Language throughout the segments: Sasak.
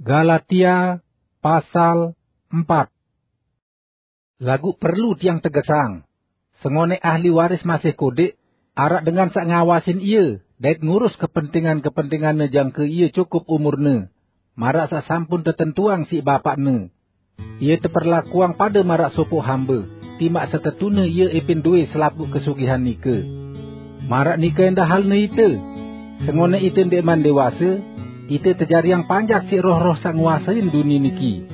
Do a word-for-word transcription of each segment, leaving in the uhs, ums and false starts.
Galatia pasal empat. Laguq perlu tiang tegesang, sengonẽq ahli waris masih kodeq, araq dengan saq ngawasin ie dait ngurus kepentingan-kepentinganne jangke ie cukup umurne, maraq saq sampun tetentuang siq bapaqne. Ie teperlakuang pade maraq sopoq hambe, timaq setetune ie epin dowẽ selapuq kesugihan nike. Maraq nike endah halne ite. Sengonẽq ite ndeqman dewase, ite tejariang panjak siq roh-roh saq nguasein dunie niki.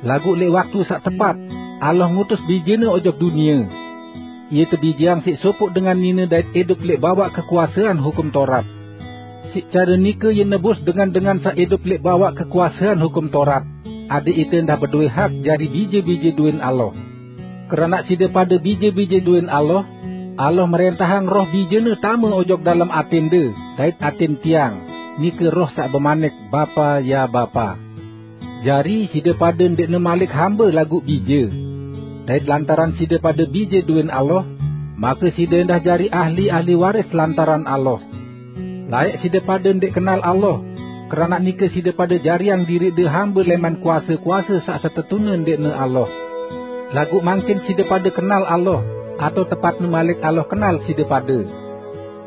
Laguq leq waktu saq tepat, Allah ngutus Bijene ojok dunie. Ie tebijeang siq sopoq dengan nine dait idup leq bawaq kekuasean Hukum Torat. Siq care nike ie nebus dengan-dengan saq idup leq bawaq kekuasean Hukum Torat, adẽq ite endah bedowẽ hak jari bije-bije dowẽn Allah. Keranaq side pade bije-bije dowẽn Allah, Allah mrẽntahang Roh Bijene tame ojok dalem atẽnde dait atẽn tiang, nike Roh saq bemanik, "Bapa, ya Bapa." Jari, side pade ndeqne malik hambe laguq bije. Dait lantaran side pade bije dowẽn Allah, make side endah jari ahli-ahli waris lantaran Allah. Laẽq side pade ndeq kenal Allah, keranaq nike side pade jariang diriqde hambe lẽman kuase-kuase saq setetune ndeqne Allah. Laguq mangkin side pade kenal Allah, atao tepatne malik Allah kenal side pade.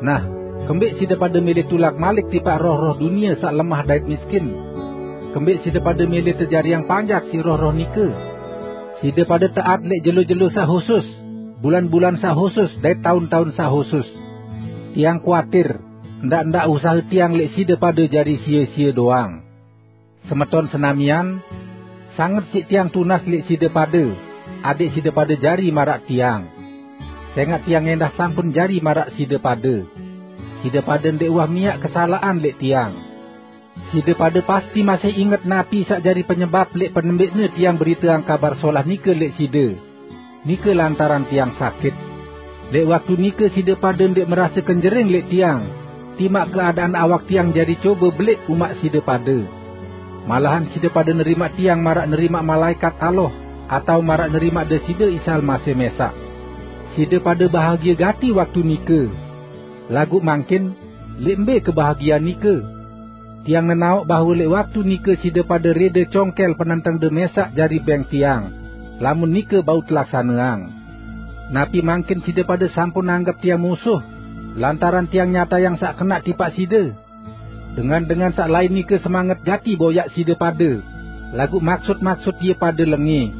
Nah, kembeq side pade mele tulak malik tipaq roh-roh dunie saq lemah dait miskin? Kembeq side pade mele tejariang panjak siq roh-roh nike? Side pade taat leq jelo-jelo saq husus, bulan-bulan saq husus, dait taun-taun saq husus. Tiang kuatir, ndaq-ndaq usahe tiang leq side pade jari sie-sie doang. Semeton senamian, sanget siq tiang tunas leq side pade, adẽq side pade jari maraq tiang. Sengaq tiang endah sampun jari maraq side pade. Side pade ndeq uwah miaq kesalaqan leq tiang. Side pade pasti masih inget napi saq jari penyebap leq penembẽqne tiang beriteang Kabar Solah nike leq side. Nike lantaran tiang sakit. Leq waktu nike side pade ndeq merase kenjering leq tiang, timaq keadaan awak tiang jari cobe beleq umaq side pade. Malahan side pade nerimaq tiang maraq nerimaq malaẽkat Allah, atao maraq nerimaq Deside Isa Almasih mẽsaq. Side pade bahagie gati waktu nike. Laguq mangkin, leq mbe kebahagian nike? Tiang nenaoq bahwe leq waktu nike side pade rede congkel penentengde mẽsaq jari bẽng tiang, lamun nike bau telaksaneang. Napi mangkin side pade sampun anggep tiang musuh, lantaran tiang nyatayang saq kenaq tipaq side? Dengan-dengan saq lain nike semanget gati boyaq side pade, laguq maksut-maksut ie pade lengẽ.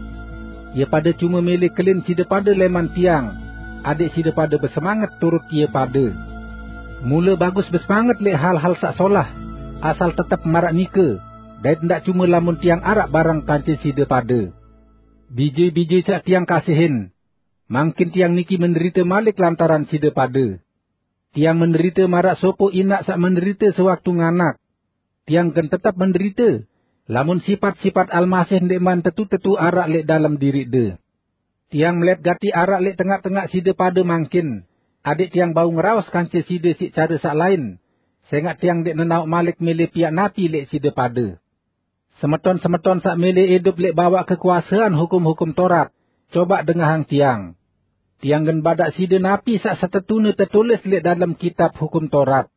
Ie pade cume mele kelin side pade lẽman tiang, adẽq side pade besemanget turut ie pade. Mule bagus besemanget leq hal-hal saq solah, asal tetep maraq nike, dait ndaq cume lamun tiang araq bareng kance side pade. Bije-bije saq tiang kasihin, mangkin tiang niki menderite malik lantaran side pade. Tiang menderite maraq sopoq inaq saq menderite sewaktu nganak. Tiang gen tetep menderite, lamun sipat-sipat Almasih ndeqman tetu-tetu araq leq dalem diriqde. Tiang melet gati araq leq tengaq-tengaq side pade mangkin, adẽq tiang bau ngeraos kance side siq care saq lain, sengaq tiang ndeq nenaoq malik mele piaq napi leq side pade. Semeton-semeton saq mele idup leq bawaq kekuasean hukum-hukum Torat, cobaq dengahang tiang. Tiang gen badaq side napi saq setetune tetulis leq dalem kitab Hukum Torat.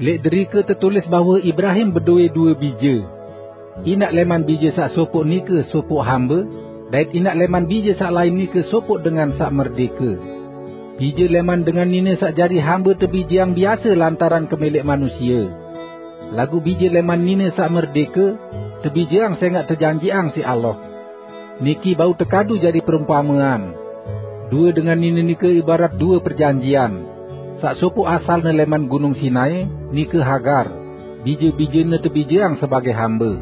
Leq derike tetulis bahwe Ibrahim bedowẽ due bije. Inaq lẽman bije saq sopoq nike sopoq hambe, dait inaq lẽman bije saq lain nike sopoq dengan saq merdẽke. Bije lẽman dengan nine saq jari hambe tebijeang biase lantaran kemeleq manusie. Laguq bije lẽman nine saq merdẽke tebijeang sẽngaq tejanjiqang siq Allah. Niki bau tekadu jari perumpamean. Due dengan nine nike ibarat due perjanjian. Saq sopoq asalne lẽman Gunung Sinai, nike Hagar, bije-bijene tebijeang sebagẽ hambe.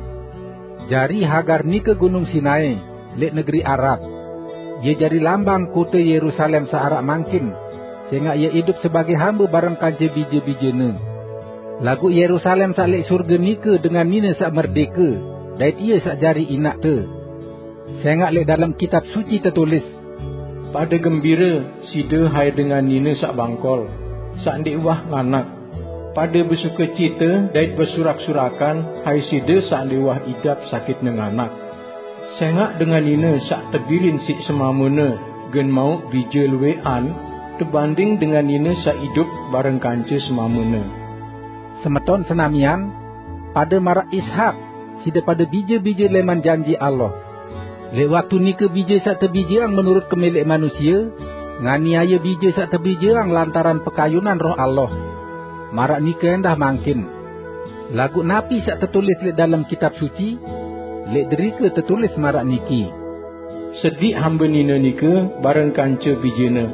Jari Hagar nike Gunung Sinai, leq negeri Arab. Ie jari lambang kote Yerusalem saq araq mangkin, sẽngaq ie idup sebagẽ hambe bareng kance bije-bijene. Laguq Yerusalem saq leq surge nike dengan nine saq merdẽke, dait ie saq jari inaqte. Sẽngaq leq dalem Kitab Suci tetulis, "Pade gembire side, hai dengan nine saq bangkol, saq ndeq uwah nganak. Pade besukecite dait besurak-surakan, hai side saq ndeq uwah idap sakitne nganak. Sẽngaq dengan nine saq tebilin siq semamene gen mauq bije luwẽqan tebanding dengan nine saq idup bareng kance semamene." Semeton senamian, pade maraq Ishak, side pade bije-bije leman janji Allah. Lek waktu nike bije saq tebijeang menurut kemeleq manusie, nganiaye bije saq tebijeang lantaran pekayunan Roh Allah. Maraq nike endah mangkin. Laguq napi saq tetulis lek dalem Kitab Suci? Lek derike tetulis maraq niki, "Sediq hambe nine nike bareng kance bijene,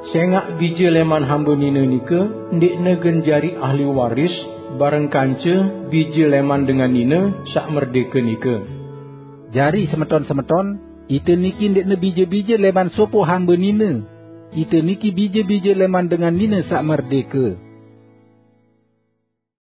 sengaq bije leman hambe nine nike ndeqne gen jari ahli waris bareng kance bije leman dengan nine saq merdeke nike." Jari, semeton-semeton, ite niki ndeqne bije-bije leman sopoq hambe nine. Ite niki bije-bije leman dengan nine saq merdeke.